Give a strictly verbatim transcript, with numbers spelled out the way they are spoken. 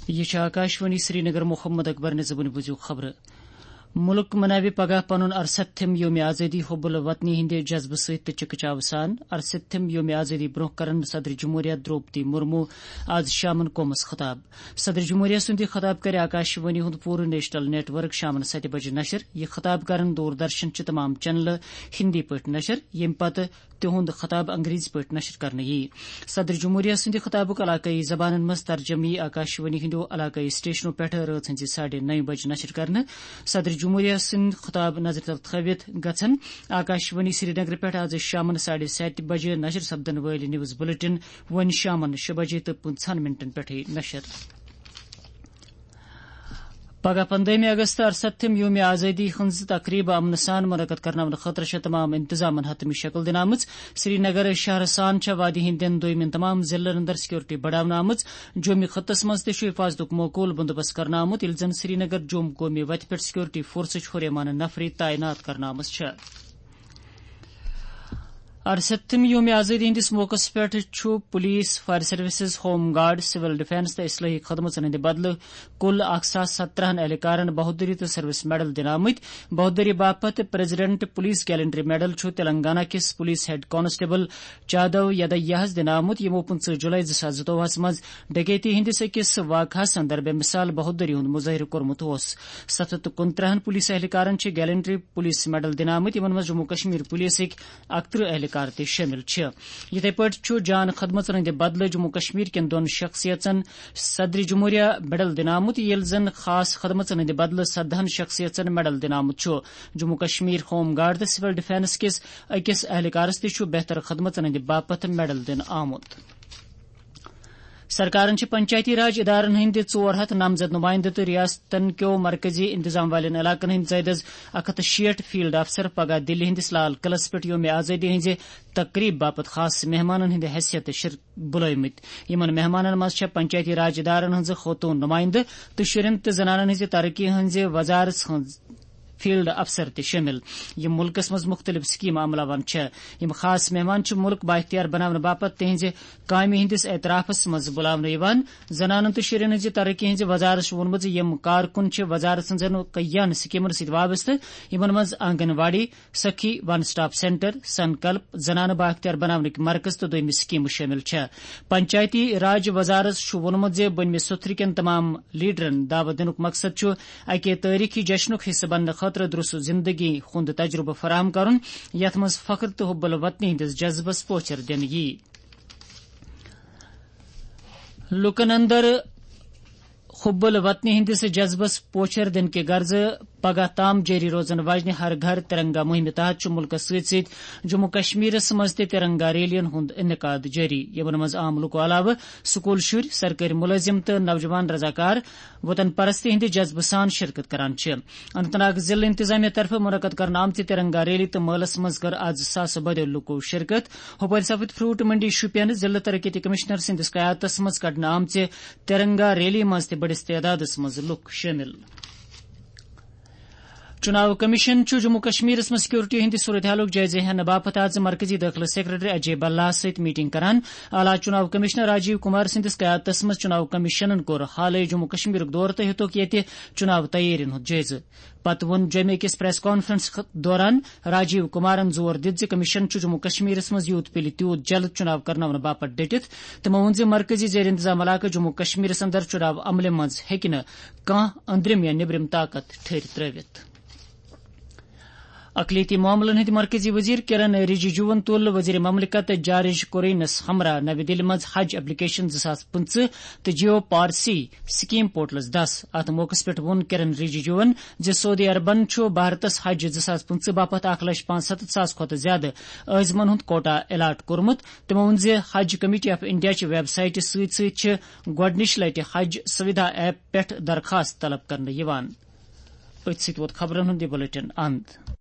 یہِ چھِ آکاشوانی سرینگر۔ محمد اکبر نِزبُنہِ بوٗزِو خبرٕ۔ مُلک مناوِ پگاہ پنُن ارستھم یوم آزٲدی، حب الوطنی ہٕنٛدِ جذبہٕ سۭتۍ تہٕ چکچاو سان۔ ارستھم یوم آزٲدی برونٛہہ کرن صدر جمہوریہ درٛوپدی مرمو آز شامن قومس خطاب۔ صدر جمہوریہ سُنٛد یہِ خطاب کرِ آکاشوانی ہُنٛد پوٗرٕ نیشنل نیٹ ورک شامن ستہِ بجہِ نشر۔ یہِ خطاب کرن دوردرشن چہِ تمام چینلہٕ ہِندی پٲٹھۍ نشر، ییٚمہِ پتہٕ تِہُنٛد خطاب انگریزی پٲٹھۍ نشر کرنہٕ یِیہِ۔ صدر جمہوریہ سٕنٛدِ خطابُک علاقٲیی زبانن منٛز ترجمہٕ یِیہِ آکاشوانی ہٕنٛدیو علاقٲیی سٹیشنو پٮ۪ٹھٕ رٲژ ہٕنٛزِ ساڑھے نَیہِ بجہِ نشر کرنہٕ۔ صدر جمہوریہ سٕنٛدۍ خطاب نظرِ تل تھٲوِتھ گژھن آکاشوانی سرینگرٕ پٮ۪ٹھ آز شامن ساڑھے ستہِ بجہِ نشر سپدن وٲلۍ نیوز بلیٹن وۄنۍ شامن شےٚ بجے تہٕ پٕنٛژٕہن منٹن پٮ۪ٹھٕے نشر۔ پگاہ پندٲہمہِ اگست ارستھم یوم آزٲدی ہٕنٛز تقریب امنہٕ سان منعقد کرناونہٕ خٲطرٕ چھےٚ تمام انتظامن حتمی شکل دِنہٕ آمٕژ۔ سرینگر شہرٕ سان چھےٚ وادی ہٕنٛدٮ۪ن دویمٮ۪ن تمام ضلعن اندر سکیورٹی بڑاونہٕ آمٕژ۔ جومہِ خطس منٛز تہِ چھُ حفاظتُک معقول بندوبست کرنہٕ آمُت، ییٚلہِ زن سرینگر جوم قومی وتہِ پٮ۪ٹھ سکیورٹی فورسٕچ ہُریمان نفری تعینات کرنہٕ آمٕژ چھےٚ۔ ارستھم یوم آزٲدی ہٕنٛدِس موقعس پٮ۪ٹھ چھُ police, fire services, home guard, civil defence تہٕ اصلاحی خدمژن ہٕنٛدِ بدلہٕ کُل اکھ ساس سترہن اہلکارن بہادری تہٕ سروس میڈل دِنہٕ آمٕتۍ۔ بہادری باپتھ پریزیڈنٹ پولیس گیلنٹری میڈل چھُ تلنگانہ کِس پولیس ہیڈ کانسٹیبل چادو یدیاہس دِنہٕ آمُت، یِمو پٕنٛژٕہ جولائی زٕ ساس زٕتووُہس منٛز ڈکیتی ہٕنٛدِس أکِس واقعس اندر بے مثال بہادری ہُنٛد مظٲہرٕ کوٚرمُت اوس۔ ستھ ہتھ تہٕ کُنترٕہن پولیس اہلکارن چھِ گیلنٹری پولیس میڈل دِنہٕ آمٕتۍ، یِمن منٛز جموں کشمیر پولیسٕکۍ اکترٕہ اہلکار تہِ شٲمِل چھِ۔ یِتھے پٲٹھۍ چھُ جان خدمژن ہٕنٛدِ بدلہٕ جموں کشمیر کٮ۪ن دۄن شخصیژن صدر جمہوریہ میڈل دِنہٕ آمُت، ییٚلہِ زن خاص خدمژن ہٕنٛدِ بدلہٕ سدہن شخصیژن میڈل دِنہٕ آمُت چھُ۔ جموں کشمیر ہوم گارڈ تہٕ سول ڈیفنس کِس أکِس اہلکارس تہِ چھُ بہتر خدمژن ہٕنٛدِ باپتھ میڈل دِنہٕ آمُت۔ سرکارن چھِ پنچایتی راج ادارن ہٕنٛدِ ژور ہتھ نامزد نمائندٕ تہٕ ریاستن کیو مرکزی انتظام والٮ۪ن علاقن ہٕنٛدۍ زٲیدٕ از اکھ ہتھ تہٕ شیٹھ فیلڈ افسر پگاہ دِلہِ ہٕنٛدِس لال قلعس پٮ۪ٹھ یوم آزٲدی ہٕنٛزِ تقریب باپتھ خاص مہمانن ہٕنٛدِ حیثیت شر-، بُلٲومٕتۍ۔ یِمن مہمانن منٛز چھےٚ پنچایتی راج ادارن ہٕنٛزٕ خوتوٗن نمائندٕ تہٕ شُرٮ۪ن تہٕ زنانن ہٕنٛزِ ترقی ہٕنٛزِ وزارژ ہٕنٛز فیلڈ افسر تہِ شٲمِل، یِم مُلکَس منٛز مُختٔلِف سکیٖمہٕ عملاوان چھےٚ۔ یِم خاص مہمان چھِ مُلک بااختیار بناونہٕ باپتھ تِہنٛزِ کامہِ ہٕنٛدِس اعترافَس منٛز بُلاونہٕ یِوان۔ زنانَن تہٕ شُرٮ۪ن ہٕنٛزِ ترقی ہٕنٛزِ وزارت چھُ ووٚنمُت زِ یِم کارکُن چھِ وزارت سٕنٛزن کئیاہن سکیٖمَن سۭتۍ وابستہٕ، یِمَن منٛز آنگن واڑی، سخی ون سٹاپ سینٹر، سنکلپ، زنانہٕ بااختیار بناونٕکۍ مرکز تہٕ دوٚیمہِ سکیٖمہٕ شٲمِل چھےٚ۔ پنچایتی راج وزارت چھُ ووٚنمُت زِ بٔنمہِ سوٚتھرِ کٮ۪ن تمام لیڈرن دعوت دِنُک مقصد چھُ اکہِ تٲریخی جشنُک حصہٕ بننہٕ خٲطرٕ درست زندگی ہُنٛد تجربہٕ فراہم کرُن، یتھ منٛز فخر تہٕ حب الوطنی ہٕنٛدِس جذبس پوچھر دِنہٕ یِیہِ۔ لوٗکن اندر حب الوطنی ہٕنٛدِس جذبس پوچھر دِنہٕ کہِ غرضہٕ پگاہ تام جٲری روزن واجنہِ ہر گھر ترنگا مُہِمہِ تحت چھُ مُلکس سۭتۍ سۭتۍ جموں کشمیرس منٛز تہِ ترنگا ریلیَن ہُنٛد انعقاد جٲری، یِمن منٛز عام لوٗکو علاوٕ سکوٗل شُرۍ، سرکٲرۍ مُلٲزِم تہٕ نوجوان رضاکار وطن پرستی ہٕنٛدِ جذبہٕ سان شرکت کران چھِ۔ اننت ناگ ضلع انتظامیہ طرفہٕ منعقد کرنہٕ آمژِ ترنگا ریلی تہٕ مٲلس منٛز کٔر آز ساسہٕ بٔدیو لوٗکو شرکت۔ ہُپٲرۍ سپٕدۍ فروٹ منڈی شوپین ضلع ترقیتی کمشنر سٕنٛدِس قیادتس منٛز کڑنہٕ آمژِ ترنگا ریلی منٛز تہِ بٔڑِس تعدادس منٛز لوٗکھ شٲمِل۔ چُناو کمیشن چھُ جموں کشمیرس منٛز سکیورٹی ہٕنٛدِ صورتحالُک جٲیزٕ ہٮ۪نہٕ باپتھ آز مرکزی دٲخلہٕ سیکرٹری اجے بھلہ سۭتۍ میٹنگ کران۔ اعلیٰ چُناو کمشنر راجیو کمار سٕنٛدِس قیادتس منٛز چُناو کمیشنن کوٚر حالٕے جموں کشمیرُک دورٕ تہٕ ہیوٚتُکھ ییٚتہِ چُناو تیٲرین ہُنٛد جٲیزٕ۔ پتہٕ ووٚن جوٚمہِ أکِس پریس کانفرنس خ-، دوران راجیو کمارن زور دِتھ زِ کمیشن چھُ جموں کشمیرس منٛز یوٗت پِلہِ تیوٗت جلد چُناو کرناونہٕ باپتھ ڈٔٹِتھ۔ تِمو ووٚن زِ مرکزی زیر انتظام علاقہٕ جموں کشمیرس اندر چُناو عملہِ منٛز ہیٚکہِ نہٕ کانٛہہ أنٛدرِم یا نیٚبرِم طاقت ٹھٔہرِ ترٲوِتھ۔ اقلیتی معاملن ہٕنٛدۍ مرکزی وزیر کرن رجیجوَن تُل وزیر مملکت جارج کورینس ہمراہ نوِ دِلہِ منٛز حج اپلیکیشن زٕ ساس پٕنٛژٕہ تہٕ جیو پارسی سکیم پورٹلس دس۔ اتھ موقعس پٮ۪ٹھ ووٚن کرن رجیجوَن زِ سعودی عربن چھُ بھارتس حج زٕ ساس پٕنٛژٕہ باپتھ اکھ لچھ پانٛژھ ستتھ ساس کھۄتہٕ زیادٕ عٲزمن ہُنٛد کوٹا الاٹ کوٚرمُت۔ تِمو ووٚن زِ حج کمیٹی آف انڈیا چہِ ویب سایٹہِ سۭتۍ سۭتۍ چھِ گۄڈٕنِچ لٹہِ حج سویدھا ایپ پٮ۪ٹھ درخواست طلب کرنہٕ یِوان۔ أتھۍ سۭتۍ ووت خبرن ہُنٛد یہِ بلیٹن اند۔